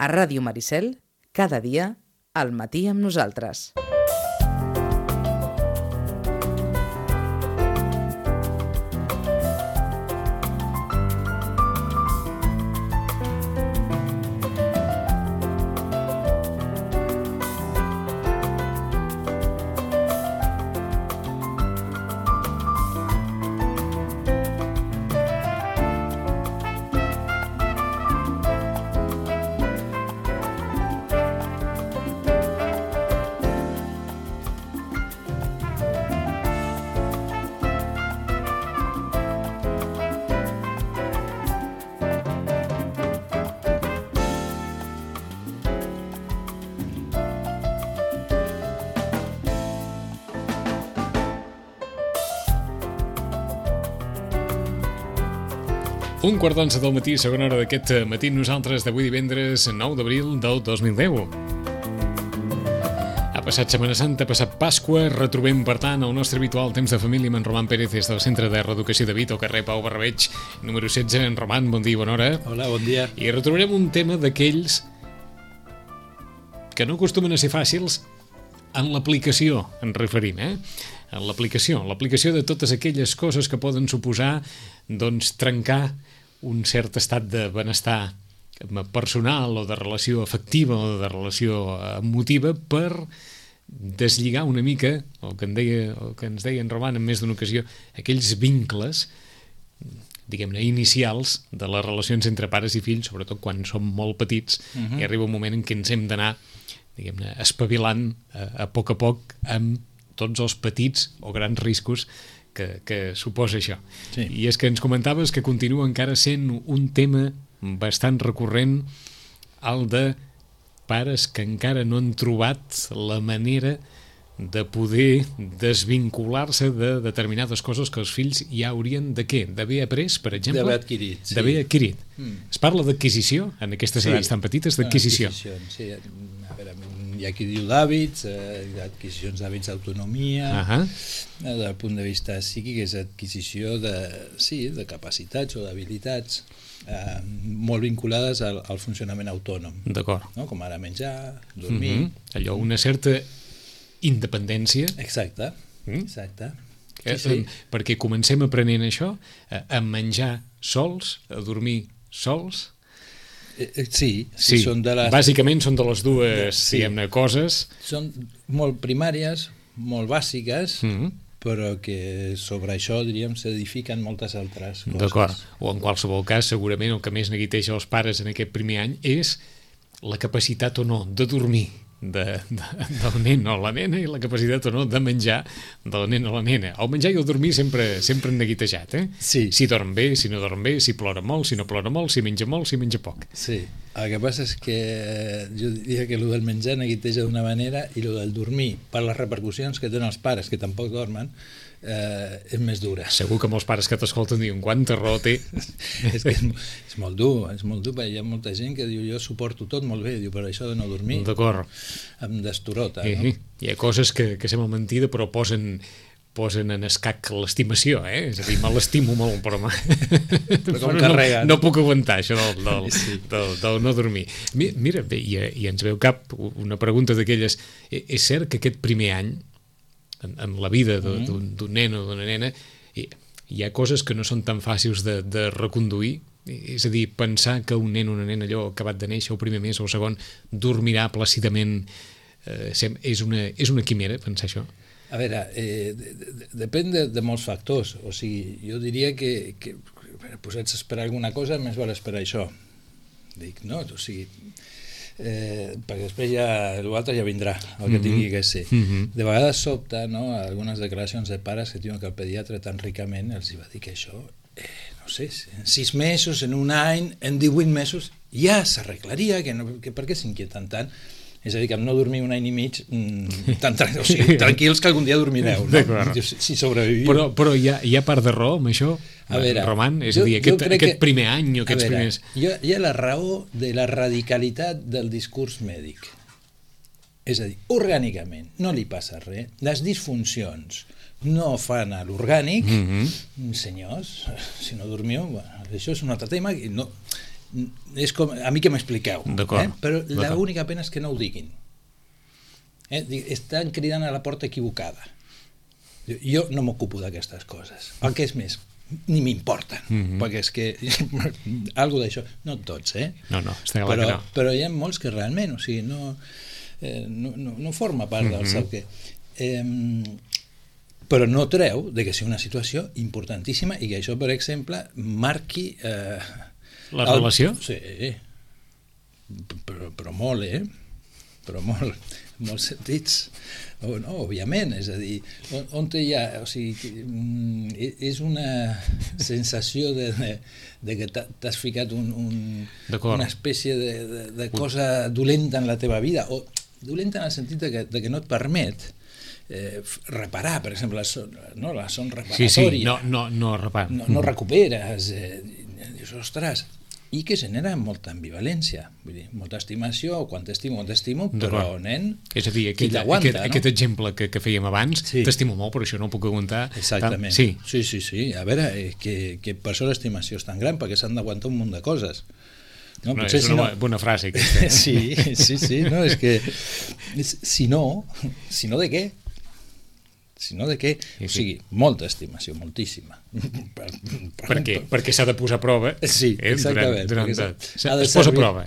A Ràdio Maricel, cada dia, al matí amb nosaltres. Un quart d'onze del matí, segona hora d'aquest matí, nosaltres d'avui divendres 9 d'abril del 2010. Ha passat Setmana Santa, ha passat Pasqua, retrobem, per tant, el nostre habitual temps de família amb en Roman Pérez des del Centre de Reeducació de Vic, al carrer Pau Barrabeig, número 16. En Roman, bon dia i bona hora. Hola, bon dia. I retrobarem un tema d'aquells que no acostumen a ser fàcils en l'aplicació, ens referim, en l'aplicació de totes aquelles coses que poden suposar, doncs, trencar un cert estat de benestar personal o de relació afectiva o de relació emotiva per deslligar una mica el que ens deia en Roman en més d'una ocasió, aquells vincles, diguem-ne, inicials de les relacions entre pares i fills, sobretot quan som molt petits, i arriba un moment en què ens hem d'anar, diguem-ne, espavilant a poc amb tots els petits o grans riscos que suposa això. Sí. I és que ens comentaves que continua encara sent un tema bastant recurrent, el de pares que encara no han trobat la manera de poder desvincular-se de determinades coses que els fills ja haurien de què? D'haver après, per exemple? D'haver adquirit, sí. D'haver adquirit. Es parla d'adquisició, en aquestes edats tan petites, d'adquisició. Sí, a veure, hi ha qui diu d'hàbits, adquisicions d'hàbits d'autonomia, del punt de vista psíquic és adquisició de capacitats o d'habilitats molt vinculades al funcionament autònom. D'acord. No? Com ara menjar, dormir... Allò, una certa independència. Exacte, exacte. Sí. Perquè comencem aprenent això, a menjar sols, a dormir sols... Sí. Són de les... Bàsicament són de les dues, diguem-ne, coses. Són molt primàries, molt bàsiques, però que sobre això, diríem, s'edifiquen moltes altres coses. D'acord. O en qualsevol cas, segurament el que més neguiteja els pares en aquest primer any és la capacitat o no de dormir del nen o la nena i la capacitat o no de menjar del nen o la nena. El menjar i el dormir sempre han neguitejat, Sí. Si dorm bé, si no dorm bé, si plora molt, si no plora molt, si menja molt, si menja poc. Sí, el que passa és que jo diria que el del menjar neguiteja d'una manera i el del dormir, per les repercussions que tenen els pares que tampoc dormen, és més dura. Segur que molts pares que t'escolten diuen quanta raó té. És que és molt dur, perquè hi ha molta gent que diu jo suporto tot molt bé, diu, però això de no dormir em destorota. No? Hi ha coses que sembla mentida però posen en escac l'estimació, És a dir, me l'estimo molt, però no puc aguantar això del no dormir. Mira, i ens veu cap una pregunta d'aquelles. És cert que aquest primer any en la vida d'un nen o d'una nena hi ha coses que no són tan fàcils de reconduir, és a dir, pensar que un nen o una nena allò acabat de néixer el primer mes o el segon dormirà plàcidament és una quimera pensar això? A veure, depèn de molts factors, o sigui, jo diria que posats a esperar alguna cosa més val esperar això, dic, no? O sigui, perquè després l'altre ja vindrà el que tingui que ser. De vegades sobta, no?, algunes declaracions de pares que diuen que el pediatre tan ricament els va dir que això, no sé, en 6 mesos, en un any, en 18 mesos ja s'arreglaria, que per què s'inquieten tant? És a dir, que amb no dormir un any i mig, tranquils que algun dia dormireu, no? Si sobreviviu. Però hi ha part de raó amb això, Roman? És a dir, aquest primer any o aquests primers... Hi ha la raó de la radicalitat del discurs mèdic. És a dir, orgànicament no li passa res, les disfuncions no fan a l'orgànic, senyors, si no dormiu, això és un altre tema, és com, a mi que m'expliqueu, però l'única pena és que no ho diguin. Estan cridant a la porta equivocada. Jo no m'ocupo d'aquestes coses. El que és més, ni m'importen, perquè és que algo d'això, no tots, No, està clar que no. Però hi ha molts que realment, o sigui, no forma part del seu què. Però no treu de que sigui una situació importantíssima i que això, per exemple, marqui... La relació? Sí, però molt, però molt, en molts sentits. No, òbviament, és a dir, on hi ha... O sigui, és una sensació de que t'has ficat una espècie de cosa dolenta en la teva vida, o dolenta en el sentit de que no et permet reparar, per exemple, la son reparatòria. No recuperes, dius, ostres, i que genera molta ambivalència, vull dir, molta estimació, quan t'estimo, però, nen, és a dir, aquest exemple que fèiem abans, t'estimo molt, però això no ho puc aguantar. Exactament. Sí. A veure, que per això l'estimació és tan gran, perquè s'han d'aguantar un munt de coses. No, és una bona frase, aquesta. Sí, no, és que si no de què? Si no de què? O sigui, molta estimació, moltíssima. Per què? Perquè s'ha de posar a prova. Sí, exactament. Es posa a prova.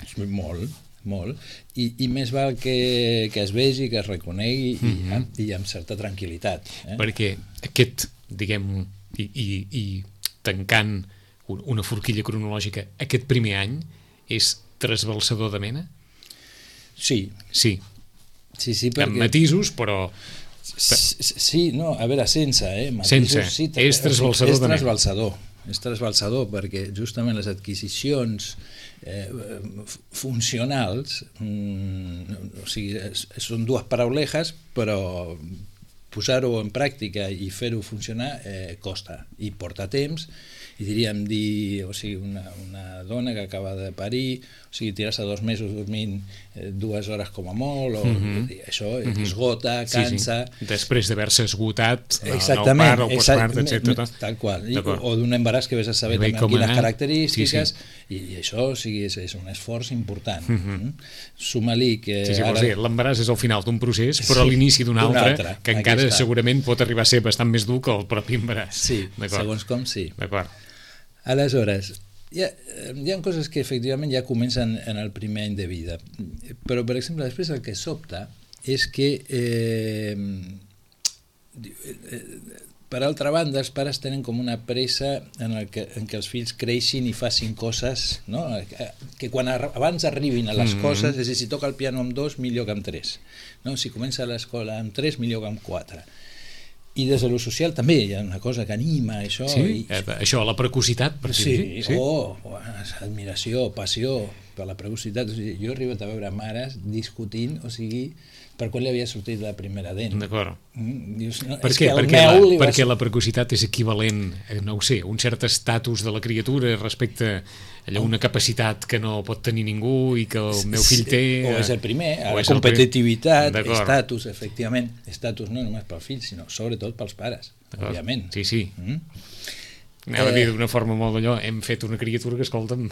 Molt. I més val que es vegi, que es reconegui i amb certa tranquil·litat. Perquè aquest, diguem, i tancant una forquilla cronològica, aquest primer any és trasbalsador de mena? Sí, perquè... Amb matisos, però... Sí, no, a veure, sense, matisos, és trasbalsador de mena. És trasbalsador perquè justament les adquisicions funcionals, o sigui, són dues paraulejes, però posar-ho en pràctica i fer-ho funcionar costa i porta temps. I diríem o sigui, una dona que acaba de parir, o sigui, tirar-se 2 mesos dormint 2 hores com a molt, això esgota, cansa... Després d'haver-se esgotat el part, el postpart, etc. Tal qual, o d'un embaràs que vés a saber també aquí les característiques, i això, o sigui, és un esforç important. Suma-li que... L'embaràs és el final d'un procés, però a l'inici d'un altre, que encara segurament pot arribar a ser bastant més dur que el propi embaràs. Sí, segons com sí. D'acord. Aleshores, hi ha coses que efectivament ja comencen en el primer any de vida, però per exemple després el que sobta és que per altra banda els pares tenen com una pressa en què els fills creixin i facin coses, no? Que quan abans arribin a les coses, és a dir, si toca el piano amb 2 millor que amb 3, no? Si comença a l'escola amb 3 millor que amb 4. I des de lo social també hi ha una cosa que anima això. Això, la precocitat, per dir. Sí, admiració, passió per la precocitat. O sigui, jo he arribat a veure mares discutint, o sigui, per quan li havia sortit la primera dent. D'acord. Dius, no, per què? Perquè la precocitat és equivalent, no ho sé, un cert estatus de la criatura respecte a una capacitat que no pot tenir ningú i que el meu fill té... O és el primer, la competitivitat, estatus, efectivament. Estatus no només pel fill, sinó sobretot pels pares, òbviament. Sí. Anava a dir d'una forma molt d'allò, hem fet una criatura que, escolta'm...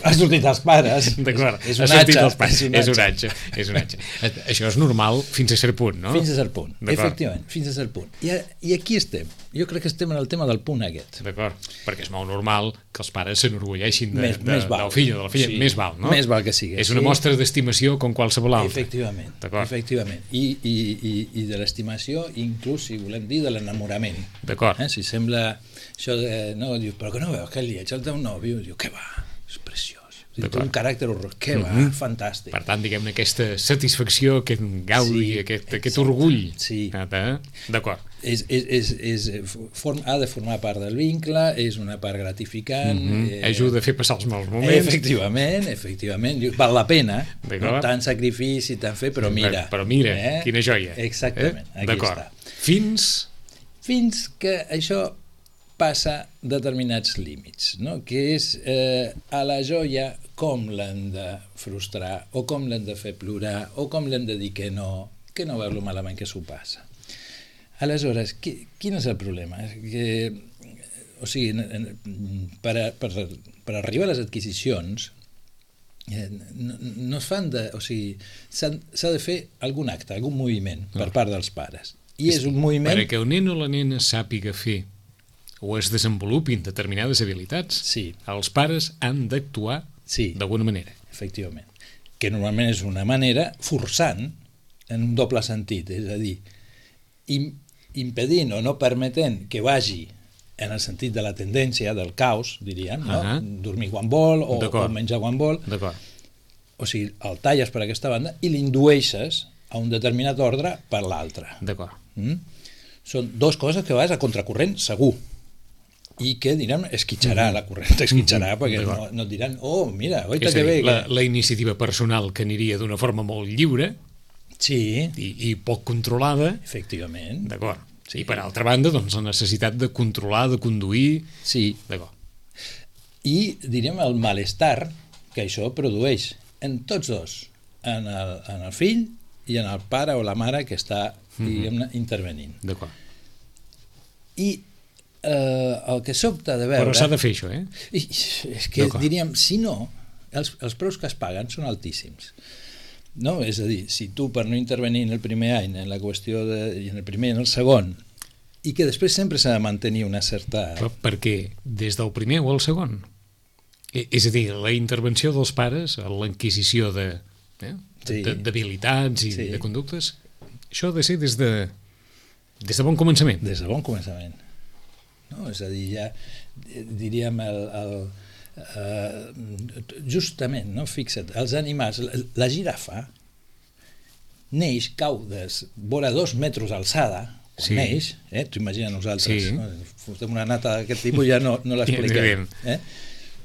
Ha sortit als pares. D'acord, és un atge. És un atge. Això és normal fins a cert punt, no? Fins a cert punt, efectivament, fins a cert punt. I aquí estem. Jo crec que estem en el tema del punt aquest. D'acord, perquè és molt normal que els pares s'enorgulleixin del fill o de la filla. Més val, no? Més val que sigui. És una mostra d'estimació com qualsevol altra. Efectivament. I de l'estimació, inclús, si volem dir, de l'enamorament. D'acord. Si sembla això de... No, dius, però que no veus que el lleig el teu nòvio? Diu, què va? És preciós. Té un caràcter horror, què va? Fantàstic. Per tant, diguem-ne, aquesta satisfacció, aquest gaudi, aquest orgull. Sí. D'acord. Ha de formar part del vincle, és una part gratificant. Ajuda a fer passar els mals moments. Efectivament. Val la pena, no tant sacrifici, tant fer, però mira. Però mira, quina joia. Exactament, aquí està. Fins que això passa determinats límits, no? Que és a la joia com l'hem de frustrar, o com l'hem de fer plorar, o com l'hem de dir que no veu lo malament que s'ho passa. Aleshores, quin és el problema? Que o sigui, per arribar a les adquisicions no es fan o sigui, s'ha de fer algun acte, algun moviment per part dels pares. I és un moviment... Perquè el nen o la nena sàpiga fer o es desenvolupin determinades habilitats, els pares han d'actuar d'alguna manera. Efectivament. Que normalment és una manera forçant en un doble sentit, és a dir, impedint o no permetent que vagi en el sentit de la tendència, del caos, diríem, no? Dormir quan vol o menjar quan vol. O sigui, el talles per aquesta banda i l'indueixes a un determinat ordre per l'altre. Són dues coses que vas a contracorrent segur i que, direm, esquitxarà la corrent, esquitxarà, perquè no et diran, oh, mira, oita que bé. La iniciativa personal que aniria d'una forma molt lliure i poc controlada. Efectivament. D'acord. I per altra banda, doncs, la necessitat de controlar, de conduir... Sí. I, diríem, el malestar que això produeix en tots dos, en el fill i en el pare o la mare que està, diguem-ne, intervenint. D'acord. I el que sobta de veure... Però s'ha de fer això, És que, diríem, si no, els preus que es paguen són altíssims. No? És a dir, si tu per no intervenir en el primer any, en la qüestió i en el primer i en el segon, i que després sempre s'ha de mantenir una certa... Però perquè des del primer o el segon? És a dir, la intervenció dels pares, l'enquisició d'habilitats i de conductes, això ha de ser des de bon començament. Des de bon començament. No? És a dir, ja diríem justament, no? Fixa't, els animals, la girafa neix, cau vora 2 metres d'alçada, quan neix, t'ho imagina nosaltres, fotem una nata d'aquest tipus ja no l'expliquem,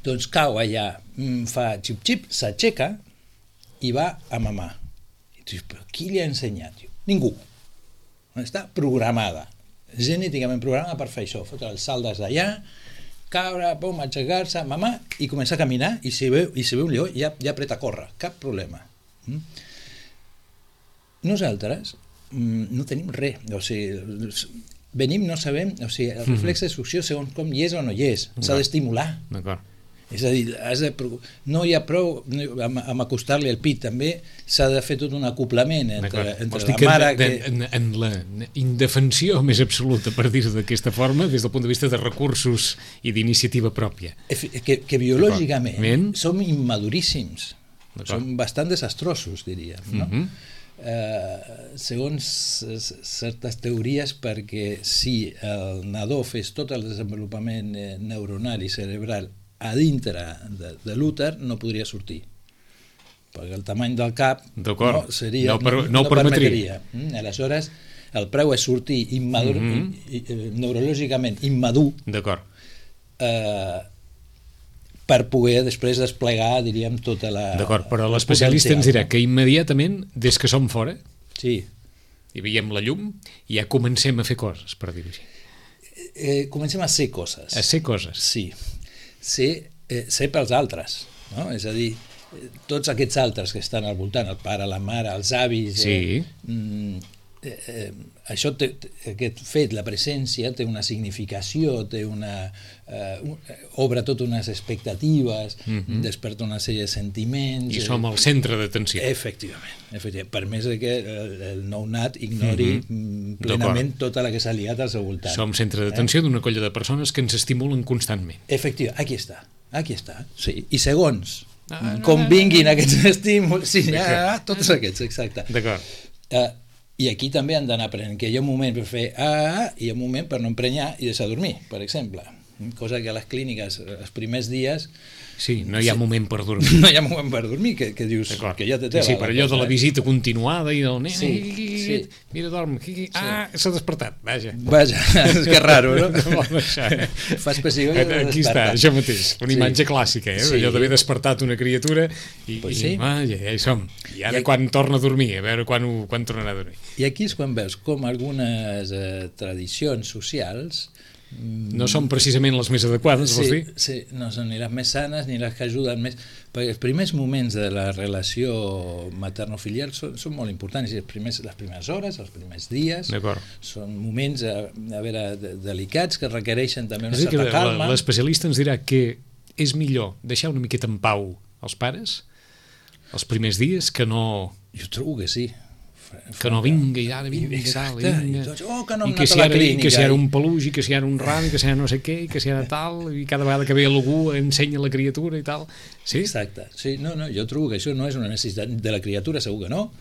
doncs cau allà, fa xip-xip, s'aixeca i va a mamar. I tu dius, però qui li ha ensenyat? Ningú. Està programada, genèticament programada per fer això, fotre els salt des d'allà, caure, pum, aixecar-se, mamar, i començar a caminar, i si veu un lleó ja apreta a córrer, cap problema. Nosaltres no tenim res, o sigui, venim, no sabem, o sigui, el reflex de succió segons com hi és o no hi és, s'ha d'estimular. D'acord. És a dir, no hi ha prou amb acostar-li el pit, també s'ha de fer tot un acoplament entre la mare... En la indefensió més absoluta, per dir-ho d'aquesta forma, des del punt de vista de recursos i d'iniciativa pròpia. Que biològicament som immaduríssims, som bastant desastrosos, diríem, no? Segons certes teories, perquè si el nadó fes tot el desenvolupament neuronal i cerebral a dintre de l'úter, no podria sortir, perquè el tamany del cap no permetria. Aleshores, el preu és sortir neurològicament immadur per poder després desplegar, diríem, tota la... D'acord, però l'especialista ens dirà que immediatament, des que som fora, i veiem la llum, ja comencem a fer coses, per dir-ho així. Comencem a ser coses. A ser coses. Sí. Ser pels altres, no? És a dir, tots aquests altres que estan al voltant, el pare, la mare, els avis, això aquest fet, la presència, té una significació, té obre totes unes expectatives, desperta una sèrie de sentiments... I som el centre d'atenció. Efectivament, per més que el nounat ignori plenament tota la que s'ha liat al seu voltant. Som centre d'atenció d'una colla de persones que ens estimulen constantment. Efectivament, aquí està, sí. I segons com vinguin aquests estímuls, tots aquests, exacte. D'acord. I aquí també han d'anar aprenent que hi ha un moment per fer i hi ha un moment per no emprenyar i deixar dormir, per exemple. Cosa que a les clíniques, els primers dies... Sí, no hi ha moment per dormir. No hi ha moment per dormir, que dius que ja té tela. Sí, per allò de la visita continuada i del nen... Mira, dorm. S'ha despertat, vaja. Que raro, no? Fas pessigo i aquí està, això mateix. Una imatge clàssica, allò d'haver despertat una criatura i ja hi som. I ara quan torna a dormir, a veure quan tornarà a dormir. I aquí és quan veus com algunes tradicions socials no són precisament les més adequades, vols dir? Sí, no són ni les més sanes ni les que ajuden més, perquè els primers moments de la relació materno-filial són molt importants, les primeres hores, els primers dies, són moments delicats que requereixen també una certa calma. L'especialista ens dirà que és millor deixar una miqueta en pau els pares els primers dies que no... Jo trobo que sí. Que no vinga i ara vinga i tal, i que no hem anat a la clínica, que si ara un peluix i que si ara un ram i que si ara no sé què i que si ara tal, i cada vegada que ve algú ensenya la criatura i tal. Sí? Exacte, sí, no, jo trobo que això no és una necessitat de la criatura, segur que no,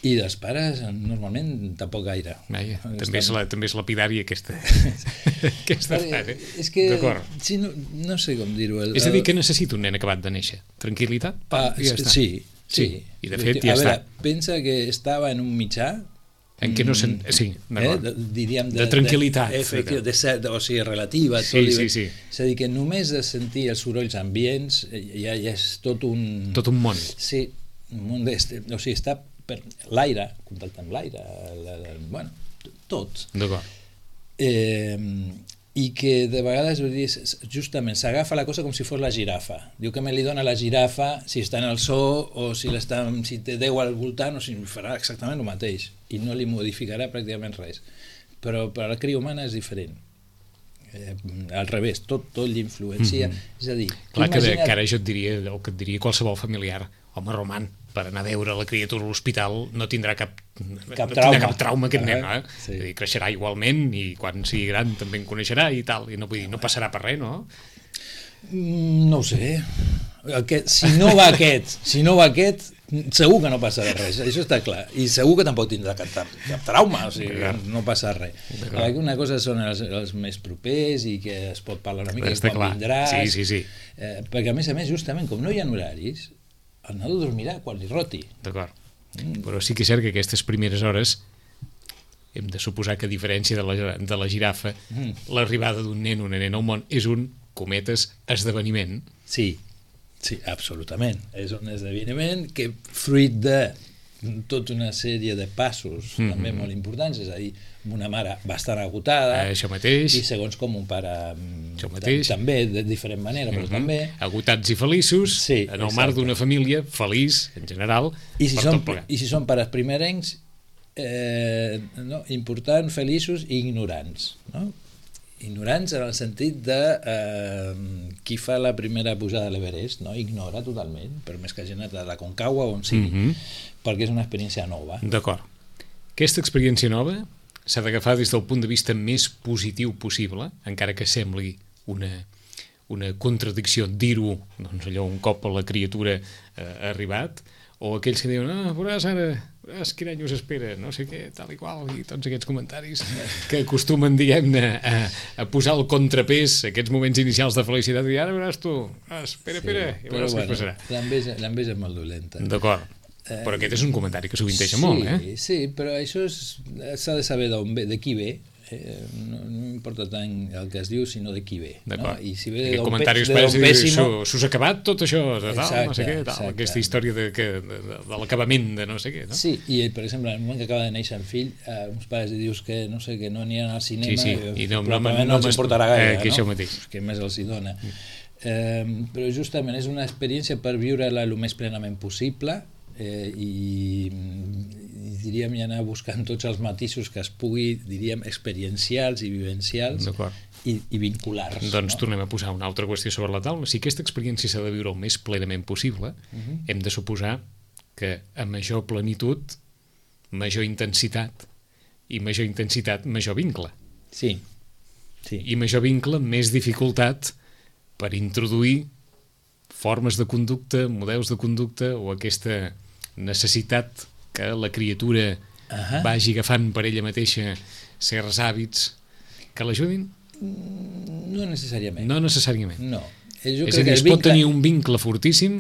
i dels pares normalment tampoc gaire. Vaja, també és lapidària aquesta frase. És que sí, no sé com dir-ho. És a dir, que necessita un nen acabat de néixer? Tranquil·litat? Ja està. Sí, i de fet ja està. Pensa que estava en un mitjà en què no sí, diríem de tranquil·litat, o sigui, relativa, sí. És a dir, que només de sentir els sorolls ambients ja és tot un món. Sí, un món o sigui, està per l'aire, contacte amb l'aire, bueno, tot. D'acord. I que de vegades justament s'agafa la cosa com si fos la girafa. Diu que me li dona la girafa si està en el zoo o si té 10 al voltant, o si farà exactament el mateix i no li modificarà pràcticament res. Però per a la cria humana és diferent. Al revés, tot l'influencia. És a dir, clar que ara jo et diria, o que et diria qualsevol familiar, home, Roman, per anar a veure la criatura a l'hospital no tindrà cap trauma aquest nen, sí. És a dir, creixerà igualment i quan sigui gran també en coneixerà i tal, i no passarà per res, no? No ho sé. Si no va aquest, segur que no passarà res, això està clar, i segur que tampoc tindrà cap trauma, o sigui, no passa res. Una cosa són els més propers i que es pot parlar una mica quan vindràs, sí. Perquè a més, justament, com no hi ha horaris, el nadó dormirà quan li roti. D'acord. Però sí que és cert que aquestes primeres hores hem de suposar que a diferència de la girafa, l'arribada d'un nen o una nena al món és un, cometes, esdeveniment. Sí, absolutament. És un esdeveniment que fruit de tota una sèrie de passos també molt importants, és a dir, una mare bastant agotada, això mateix, i segons com un pare també, de diferent manera, però també agotats i feliços, en el marc d'una família feliç en general, i si són pares primerencs, importants, feliços i ignorants, no? Ignorants en el sentit de qui fa la primera pujada a l'Everest, no? Ignora totalment, per més que hagi anat a la Concagua o on sigui, perquè és una experiència nova. D'acord. Aquesta experiència nova s'ha d'agafar des del punt de vista més positiu possible, encara que sembli una contradicció dir-ho, doncs allò un cop la criatura ha arribat, o aquells que diuen, veuràs ara, quin any us espera, no sé què, tal i qual, i tots aquests comentaris que acostumen, diguem-ne, a posar el contrapès, aquests moments inicials de felicitat, i ara veuràs tu, espera, i veuràs què passarà. L'enveja és molt dolenta. D'acord. Però aquest és un comentari que sovinteixa molt, Sí, però això s'ha de saber de qui ve. No importa tant el que es diu, sinó de qui ve. D'acord. I si ve de comentaris s'us ha acabat tot això, de tal, no sé què, aquesta història de l'acabament de no sé què, no? Sí, i per exemple, en el moment que acaba de néixer el fill, uns pares li dius que no sé, que no aniran al cinema, i probablement no els importarà gaire, que això mateix. Que més els hi dona. Però justament és una experiència per viure-la el més plenament possible, i diríem i anar buscant tots els matisos que es pugui, diríem, experiencials i vivencials i vinculars. Doncs tornem a posar una altra qüestió sobre la taula. Si aquesta experiència s'ha de viure el més plenament possible, hem de suposar que a major plenitud, major intensitat, i major vincle. Sí. I major vincle, més dificultat per introduir formes de conducta, models de conducta o aquesta necessitat que la criatura vagi agafant per ella mateixa certs hàbits que l'ajudin? No necessàriament. No necessàriament. No. És a dir, es pot tenir un vincle fortíssim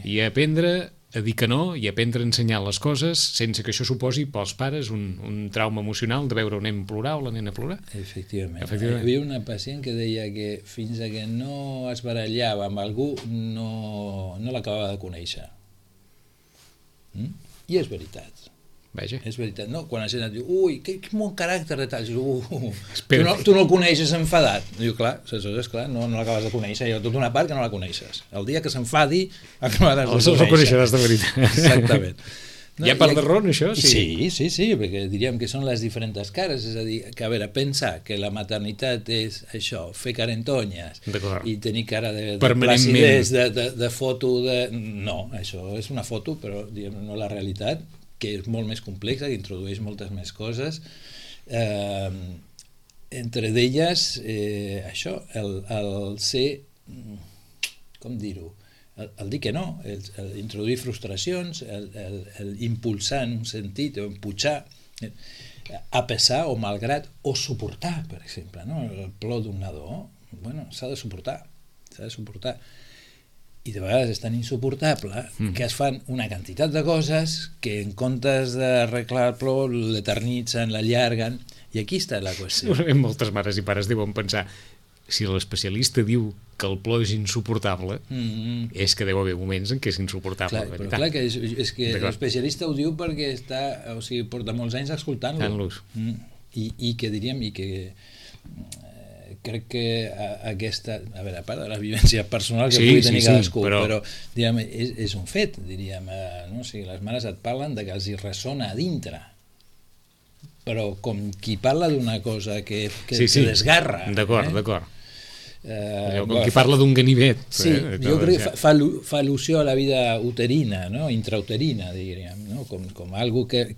i aprendre a dir que no i aprendre a ensenyar les coses sense que això suposi pels pares un trauma emocional de veure un nen plorar o la nena plorar. Efectivament. Hi havia una pacient que deia que fins que no es barallava amb algú no l'acabava de conèixer. I és veritat. vaja. És veritat, no? Quan la gent et diu, ui, que bon caràcter de tal, Espera. tu no el coneixes enfadat. Diu, clar, aleshores, clar, no l'acabes de conèixer, hi ha tota una part que no la coneixes. El dia que s'enfadi, acabaràs de conèixer. El coneixeràs de veritat. Exactament. No, hi ha part de raó en això? Sí, perquè diríem que són les diferents cares, és a dir, que a veure, pensar que la maternitat és això, fer carentonyes i tenir cara de placidesa, de foto, no, això és una foto, però diguem, no la realitat, que és molt més complexa, que introdueix moltes més coses, entre d'elles això, el ser, com dir-ho, el dir que no, el introduir frustracions, el impulsar en un sentit, o empujar, a pesar o malgrat, o suportar, per exemple, no? El plor d'un nadó, bueno, s'ha de suportar, i de vegades és tan insuportable que es fan una quantitat de coses que en comptes d'arreglar el plor l'eternitzen, l'allarguen, i aquí està la qüestió. Moltes mares i pares deuen pensar, si l'especialista diu que el plor és insuportable, és que deu haver moments en què és insuportable. Clar, però clar que és que l'especialista ho diu perquè porta molts anys escoltant-los. I que diríem, crec que aquesta, a veure, a part de la vivència personal que pugui tenir cadascú, però diguem, és un fet, diríem, no? O sigui, les mares et parlen de que els hi ressona a dintre, però com qui parla d'una cosa que desgarra. D'acord. Com qui parla d'un ganivet. Sí, jo crec que fa al·lusió a la vida uterina, no? Intrauterina, diríem, no? Com algo que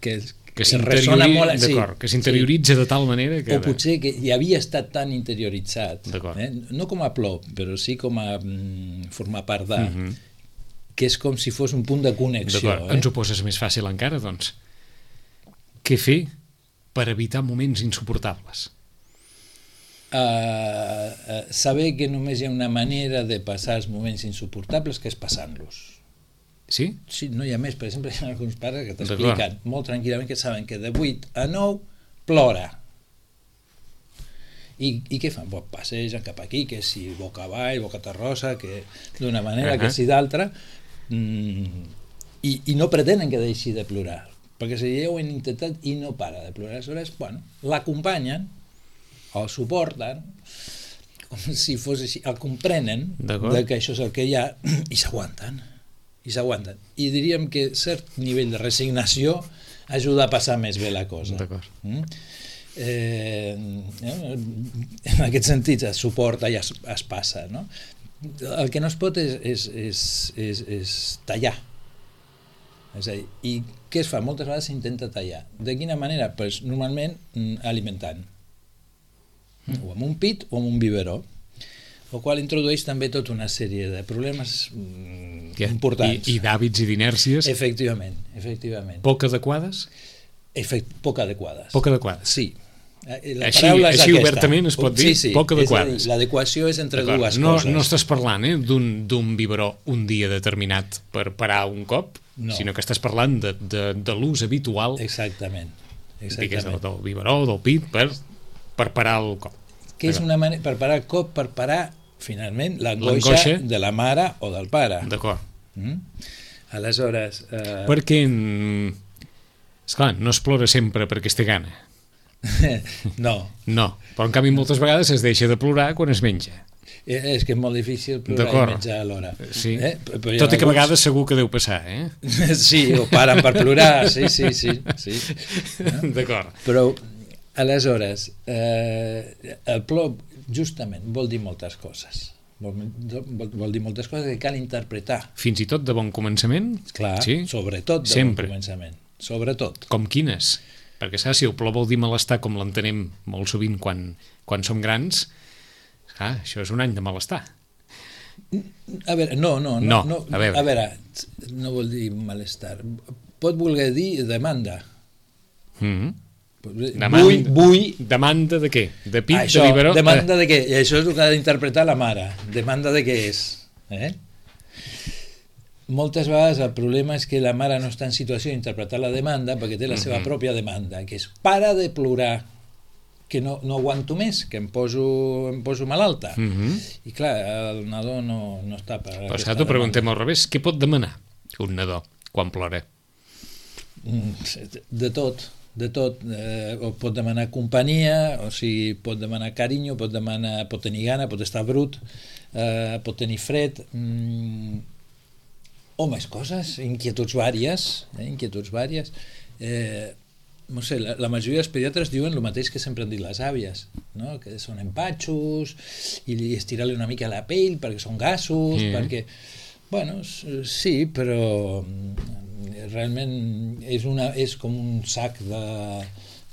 ressona molt. D'acord, que s'interioritza de tal manera que... O potser que ja havia estat tan interioritzat, no com a plor, però sí com a formar part de, que és com si fos un punt de connexió. D'acord, ens ho poses més fàcil encara, doncs. Què fer per evitar moments insuportables? Saber que només hi ha una manera de passar els moments insuportables, que és passant-los. Sí? Sí, no hi ha més. Per exemple, hi ha alguns pares que t'expliquen molt tranquil·lament que saben que de 8 a 9 plora. I què fan? Pues passegen cap aquí, que si boca avall, boca terrosa, que d'una manera, que si d'altra, i no pretenen que deixi de plorar, perquè si ja ho han intentat i no para de plorar, aleshores, bueno, l'acompanyen, el suporten, com si fos així, el comprenen que això és el que hi ha, i s'aguanten. I diríem que cert nivell de resignació ajuda a passar més bé la cosa. En aquest sentit es suporta i es passa, no? El que no es pot és tallar. És a dir, i què es fa? Moltes vegades s'intenta tallar. De quina manera? Pues, normalment alimentant, o amb un pit o amb un biberó, el qual introdueix també tota una sèrie de problemes importants. I d'hàbits i d'inèrcies. Efectivament. Poc adequades? Poc adequades. Poc adequades. Sí. Així obertament es pot dir, poc adequades. L'adequació és entre dues coses. No estàs parlant d'un biberó un dia determinat per parar un cop, sinó que estàs parlant de l'ús habitual. Exactament. Del biberó o del pit per parar el cop. Que és una manera, per parar el cop, per parar finalment l'angoixa de la mare o del pare. D'acord. Aleshores... Perquè, esclar, no es plora sempre perquè es té gana. No, però en canvi moltes vegades es deixa de plorar quan es menja. És que és molt difícil plorar i menjar alhora. Sí. Tot i que a vegades segur que deu passar, Sí, o paren per plorar, sí. D'acord. Però aleshores, el plor justament vol dir moltes coses. Vol dir moltes coses que cal interpretar. Fins i tot de bon començament? Clar, sobretot de bon començament. Sobretot. Com quines? Perquè saps, si el plor vol dir malestar com l'entenem molt sovint quan som grans, això és un any de malestar. A veure, no, no vol dir malestar. Pot voler dir demanda. Demanda de què? De pit, això, de biberó? Demanda de què? I això és el que ha d'interpretar la mare. Demanda de què és? Moltes vegades el problema és que la mare no està en situació d'interpretar la demanda perquè té la seva pròpia demanda, que és para de plorar, que no aguanto més, que em poso malalta. I clar, el nadó no està per... Però t'ho preguntem al revés, què pot demanar un nadó quan plora? De tot. O pot demanar companyia, o sigui, pot demanar carinyo, pot tenir gana, pot estar brut, pot tenir fred, o més coses, inquietuds vàries, no sé, la majoria dels pediatres diuen el mateix que sempre han dit les àvies, no? Que són empatxos i estirar-li una mica la pell perquè són gasos, perquè... Bueno, sí, però realment és com un sac de...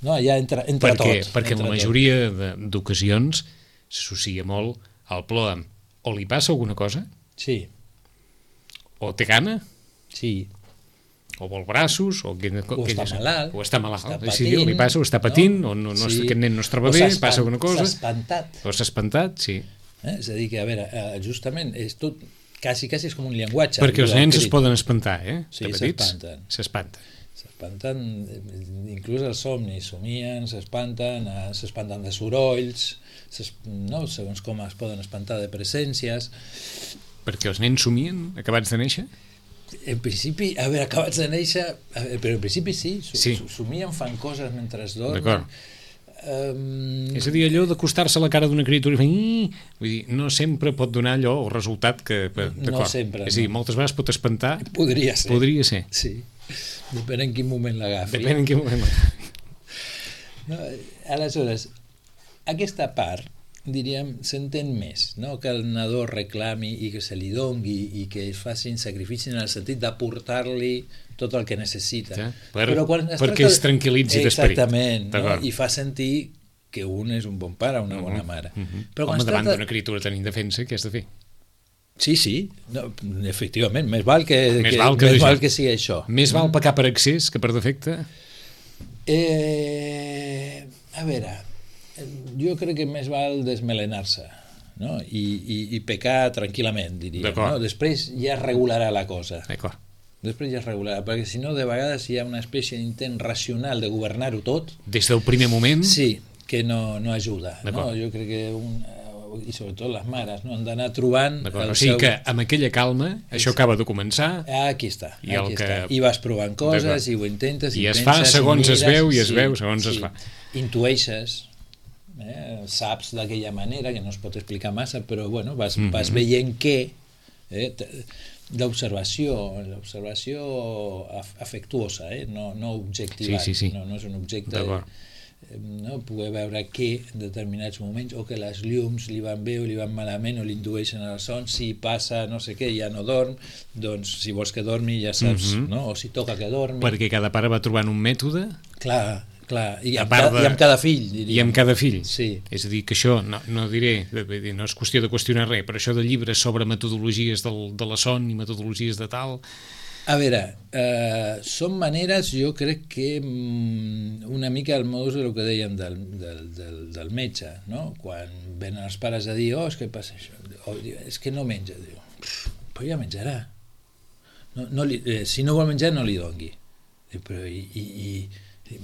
No, ja entre tot. Perquè en la majoria d'ocasions s'associa molt al plor amb o li passa alguna cosa, sí, o té gana, sí, o vol braços, o està malalt, o està malalt, està patint, patint, o li passa, o està patint, no? O no, Sí. aquest nen no es troba bé, passa alguna cosa, s'ha espantat, sí. És a dir, que a veure, justament és tot, quasi és com un llenguatge. Perquè els nens es poden espantar, sí, de petits, s'espanten, inclús els somnis, somien, s'espanten de sorolls, no? Segons com es poden espantar de presències. Perquè els nens somien acabats de néixer? En principi, a veure, acabats de néixer, però en principi sí, somien, fan coses mentre es dormen. D'acord. És a dir, allò d'acostar-se a la cara d'una criatura i fer... Vull dir, no sempre pot donar allò el resultat que... No sempre. És a dir, moltes vegades pot espantar... Podria ser. Sí, depèn en quin moment l'agafi. Aleshores, aquesta part, diríem, s'entén més, no? Que el nadó reclami i que se li dongui i que es facin sacrificis en el sentit d'aportar-li tot el que necessita. Ja, perquè es tranquil·litzi d'esperit. Exactament, no? I fa sentir que un és un bon pare, una bona mare. Però home, davant d'una criatura tan indefensa, què has de fer? Sí, no, efectivament, més val que sigui això. Més val pecar per excés que per defecte? A veure, jo crec que més val desmelenar-se, no? I pecar tranquil·lament, diria. No? Després ja es regularà la cosa. D'acord. Després ja es regularà, perquè si no, de vegades hi ha una espècie d'intent racional de governar-ho tot. Des del primer moment? Sí, que no ajuda. No? Jo crec que i sobretot les mares, no? Han d'anar trobant... O sigui que amb aquella calma això acaba de començar... Aquí està. I vas provant coses, i ho intentes, i es fa segons es veu, i es veu segons es fa. Intueixes, saps d'aquella manera, que no es pot explicar massa, però bueno, vas veient que... L'observació afectuosa, no objectiva, no és un objecte... No? Poder veure que en determinats moments o que les llums li van bé o li van malament o li indueixen el son, si passa no sé què ja no dorm, doncs si vols que dormi ja saps, no? O si toca que dormi, perquè cada pare va trobant un mètode, clar, i amb cada fill, diríem. I amb cada fill, sí. És a dir, que això no diré, no és qüestió de qüestionar res, però això de llibres sobre metodologies de la son i metodologies de tal... A veure, són maneres, jo crec que una mica el modus de lo que dèiem del metge, no? Quan venen els pares a dir, és que passa això, és que no menja, diu, però ja menjarà, si no vol menjar no li dongui, però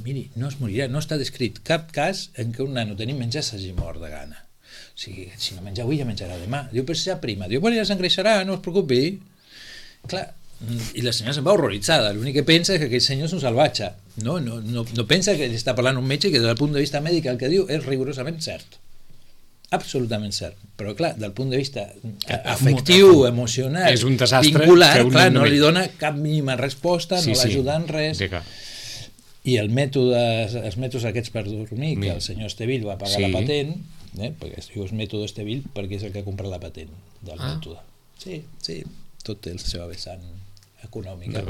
miri, no es morirà, no està descrit cap cas en què un nano tenint menjar s'hagi mort de gana, o sigui, si no menja avui ja menjarà demà, diu, però si ja prima, diu, bueno, ja s'engreixarà, no es preocupi, clar. I la senyora se'n va horroritzada, l'únic que pensa és que aquell senyor és un salvatge, no pensa que està parlant un metge que des del punt de vista mèdic el que diu és rigorosament cert, absolutament cert, però clar, del punt de vista afectiu, emocional, és un desastre, vincular, clar, no li dona cap mínima resposta, no l'ajuda en res. I els mètodes aquests per dormir, que el senyor Estevil va pagar la patent, perquè es diu mètode Estevil perquè és el que ha comprat la patent del mètode. Sí, tot té la seva vessant econòmica.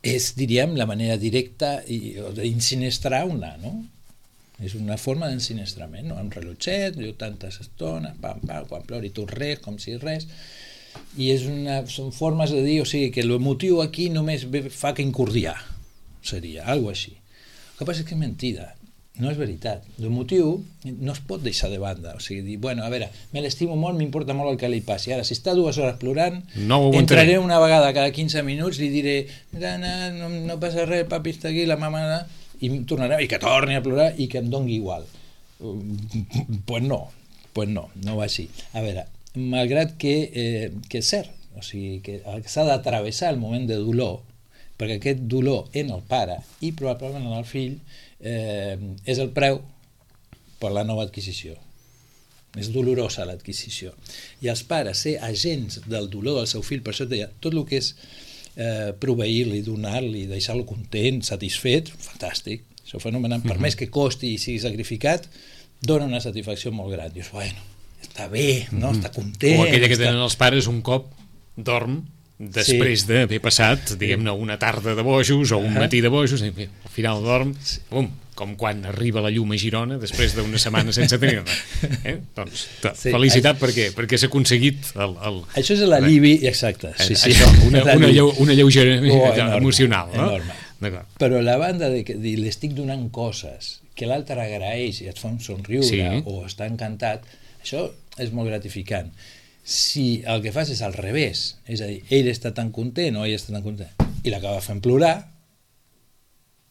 És, diríem, la manera directa d'insinestrar un nano. És una forma d'ensinestrament, no? Un rellotget, tantes estones, quan plori tu res, com si res, i són formes de dir, o sigui, que l'emotiu aquí només fa que incordiar, seria, alguna cosa així. El que passa és que és mentida, no és veritat. L'emotiu no es pot deixar de banda, o sigui, dir, bueno, a veure, me l'estimo molt, m'importa molt el que li passi, ara, si està 2 hores plorant, entraré una vegada cada 15 minuts, li diré, no passa res, papi està aquí, la mama, i tornarà, i que torni a plorar, i que em dongui igual. Pues no va així. A veure, malgrat que és cert, o sigui, que s'ha d'atravessar el moment de dolor, perquè aquest dolor en el pare i probablement en el fill és el preu per la nova adquisició. És dolorosa l'adquisició. I els pares ser agents del dolor del seu fill, per això et deia, tot el que és proveir-li, donar-li, deixar-lo content, satisfet, fantàstic. Això és fenomenal. Per més que costi i sigui sacrificat, dona una satisfacció molt gran. Dius, bueno, està bé, no? Està content. O aquella que tenen els pares un cop dorm després d'haver passat, diguem-ne, una tarda de bojos o un matí de bojos, i al final dorm, bum, com quan arriba la llum a Girona després d'una setmana sense tenir-la. Doncs, felicitat perquè s'ha aconseguit això és l'alivi, exacte. Això, una lleugera emocional, no? Enorme. Però a la banda de que li estic donant coses que l'altre agraeix i et fa un somriure o està encantat, això és molt gratificant. Si el que fas és al revés, és a dir, ell està tan content o ell està tan content i l'acaba fent plorar,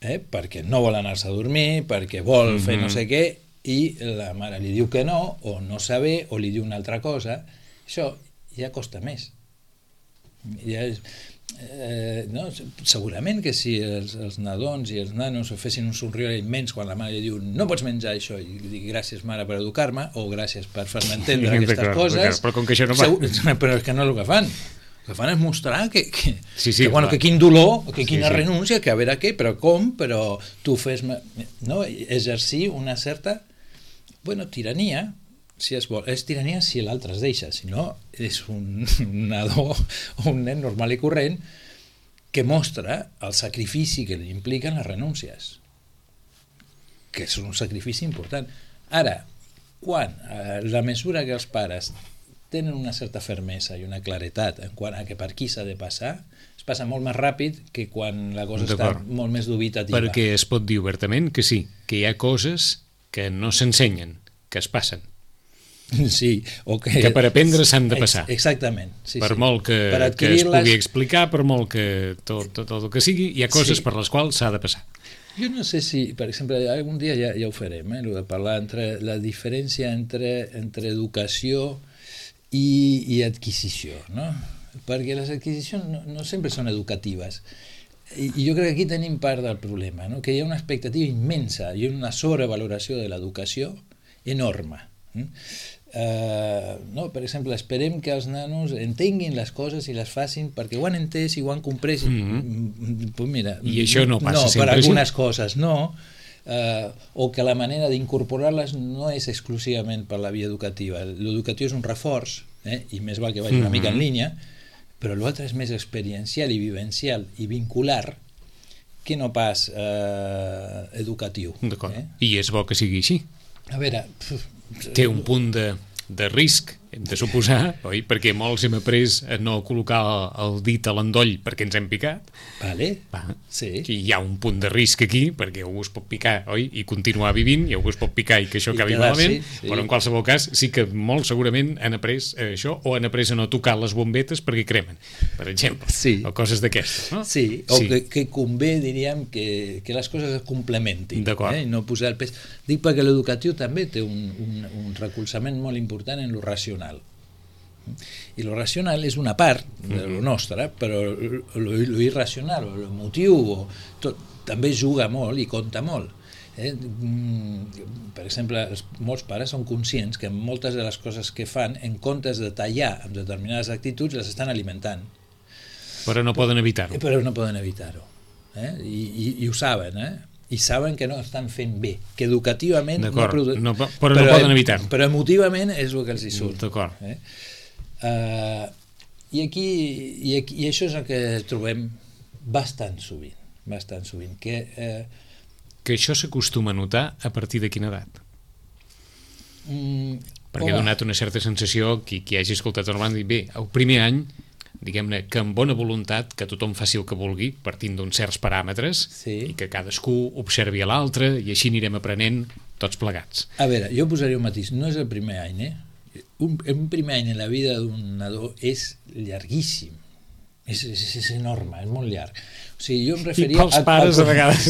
perquè no vol anar-se a dormir, perquè vol fer no sé què, i la mare li diu que no, o no sabe, o li diu una altra cosa, això ja costa més. Ja és, no? Segurament que si els nadons i els nanos fessin un somriure immens quan la mare li diu no pots menjar això, i li dic gràcies mare per educar-me, o gràcies per fer-me entendre aquestes coses, però com que això no va... però és que no és el que fan. El que fan és mostrar que quin dolor, que quina renúncia, que a veure què, però com, però tu fes-me... No? Exercir una certa tirania, si es vol. És tirania si l'altre es deixa, si no és un nadó o un nen normal i corrent que mostra el sacrifici que li impliquen les renúncies, que és un sacrifici important. Ara, quan la mesura que els pares tenen una certa fermesa i una claretat en quant a que per qui s'ha de passar, es passa molt més ràpid que quan la cosa està molt més dubitativa. Perquè es pot dir obertament que sí, que hi ha coses que no s'ensenyen, que es passen. Sí, que per aprendre s'han de passar. Exactament. Per molt que es pugui explicar, per molt que tot el que sigui, hi ha coses per les quals s'ha de passar. Jo no sé si, per exemple, algun dia ja ho farem, de parlar entre la diferència entre educació i adquisició, no? Perquè les adquisicions no sempre són educatives. I jo crec que aquí tenim part del problema, no? Que hi ha una expectativa immensa i una sobrevaloració de l'educació enorme. No? Per exemple, esperem que els nanos entenguin les coses i les facin perquè ho han entès i ho han comprès. Pues mira, i això no passa sempre per algunes coses no, o que la manera d'incorporar-les no és exclusivament per la via educativa. L'educatiu és un reforç, i més val que vagi una mica en línia, però l'altre és més experiencial i vivencial i vincular que no pas educatiu. D'acord. I és bo que sigui així. A veure... Té un punt de risc, hem de suposar, oi? Perquè molts hem après a no col·locar el dit a l'endoll perquè ens hem picat. Vale. Sí. I hi ha un punt de risc aquí, perquè algú es pot picar, oi? I continuar vivint, i algú es pot picar i que això acabi malament, però en qualsevol cas sí que molt segurament han après això, o han après a no tocar les bombetes perquè cremen, per exemple, o coses d'aquestes, no? Sí, o que convé, diríem, que les coses es complementin, i no posar el pes. Dic perquè l'educatiu també té un recolzament molt important en lo racional. I lo racional és una part de lo nostre, però lo irracional o l'emotiu també juga molt i compta molt. Per exemple, molts pares són conscients que moltes de les coses que fan, en comptes de tallar amb determinades actituds, les estan alimentant. Però no poden evitar-ho. I ho saben, i saben que no estan fent bé, que educativament però no poden evitar-ho, però emotivament és el que els hi surt. D'acord. I això és el que trobem bastant sovint, que això s'acostuma a notar a partir de quina edat? Perquè ha donat una certa sensació, qui hagi escoltat el banda, bé, el primer any, diguem-ne, que amb bona voluntat, que tothom faci el que vulgui, partint d'uns certs paràmetres, i que cadascú observi a l'altre, i així anirem aprenent tots plegats. A veure, jo posaria un matís, no és el primer any, un primer any en la vida d'un nadó és llarguíssim, és enorme, és molt llarg. O sigui, jo em referia... I pels pares a vegades.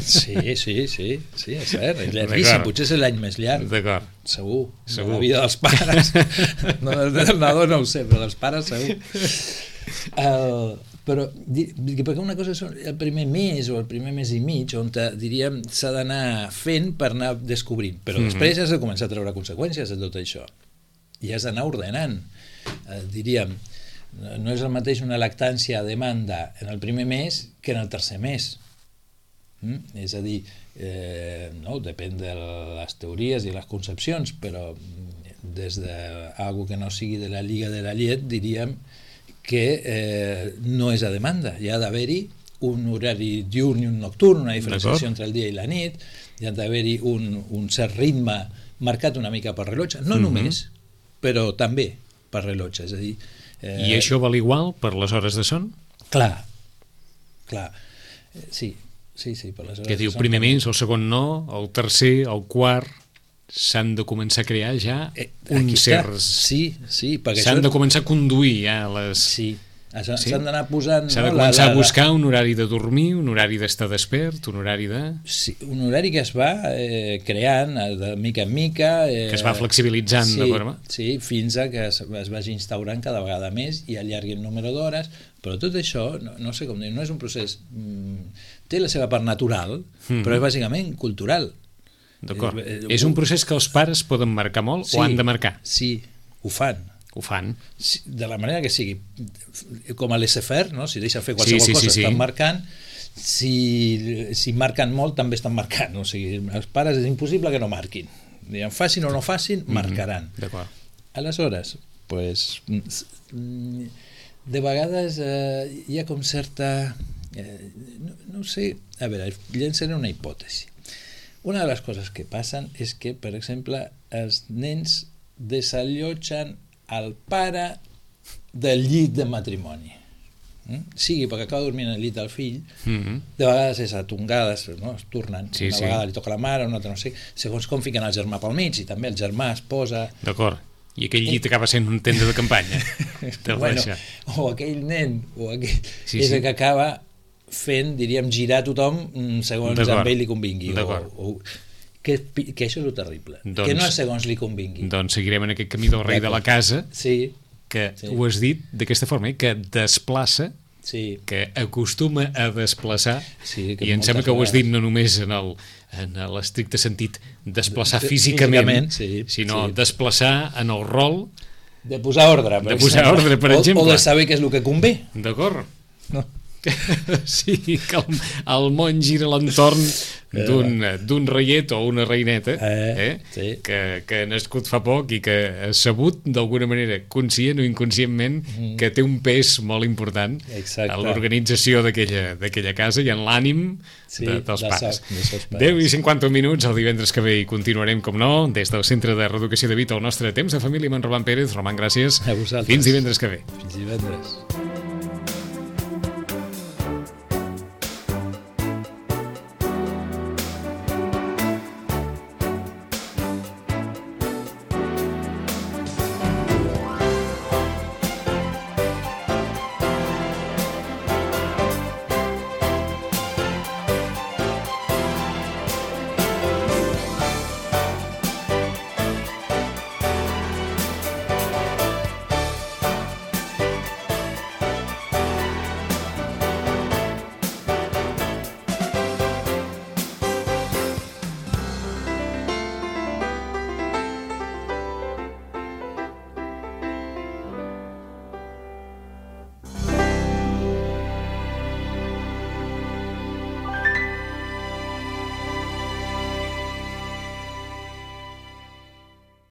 Sí, és cert, és llarguíssim, potser és l'any més llarg. D'acord. Segur. La vida dels pares. Del nadó no ho sé, però dels pares segur. Però perquè una cosa és el primer mes o el primer mes i mig on diríem s'ha d'anar fent per anar descobrint, però després has de començar a treure conseqüències de tot això i has d'anar ordenant. Diríem, no és el mateix una lactància a demanda en el primer mes que en el tercer mes. És a dir, no, depèn de les teories i les concepcions, però des d'algú que no sigui de la lliga de la llet diríem que no és a demanda, hi ha d'haver-hi un horari diurn i un nocturn, una diferenciació entre el dia i la nit, hi ha d'haver-hi un cert ritme marcat una mica per rellotge, no només, però també per rellotge, és a dir... I això val igual per les hores de son? Clar, sí, per les hores de son. Que diu primer mes, el segon no, el tercer, el quart... s'han de començar a crear ja uns certs... Sí, perquè s'han de començar a conduir ja les... Sí, s'han d'anar posant... S'ha de començar a buscar un horari de dormir, un horari d'estar despert, un horari de... Sí, un horari que es va creant de mica en mica... Que es va flexibilitzant de forma... Sí, fins a que es vagi instaurant cada vegada més i allargui el número d'hores, però tot això, no sé com dir, no és un procés... Té la seva part natural, però és bàsicament cultural. D'acord. És un procés que els pares poden marcar molt o han de marcar? Sí, ho fan. Ho fan. De la manera que sigui. Com a laissez-faire, no? Si deixen fer qualsevol cosa, estan marcant. Si marquen molt, també estan marcant. O sigui, els pares és impossible que no marquin. Facin o no facin, marcaran. D'acord. Aleshores, pues, de vegades hi ha com certa... no sé... A veure, llençaré una hipòtesi. Una de les coses que passen és que, per exemple, els nens desallotgen el pare del llit de matrimoni. Sigui perquè acaba dormint al llit del fill, de vegades és a tongades, no? Es tornen, una vegada li toca la mare, una altra no sé, segons com fiquen el germà pel mig, i també el germà es posa... D'acord, i aquell llit acaba sent un tenda de campanya. Bueno, o aquell nen, o aquell... és el que acaba... fent, diríem, girar tothom segons a ell li convingui. Que això és el terrible. Que no és segons li convingui. Doncs seguirem en aquest camí del rei de la casa, que ho has dit d'aquesta forma, que desplaça, que acostuma a desplaçar, i em sembla que ho has dit no només en l'estricte sentit desplaçar físicament, sinó desplaçar en el rol de posar ordre, per exemple. O de saber què és el que convé. D'acord. No. Sí, que el món gira a l'entorn d'un reiet o una reineta que ha nascut fa poc i que ha sabut d'alguna manera, conscient o inconscientment, que té un pes molt important a l'organització d'aquella casa i en l'ànim dels pares. 10 i 50 minuts el divendres que ve i continuarem, com no, des del Centre de Reeducació de Vita, el nostre temps de família amb en Roman Pérez. Roman, gràcies. A vosaltres. Fins divendres que ve. Fins divendres.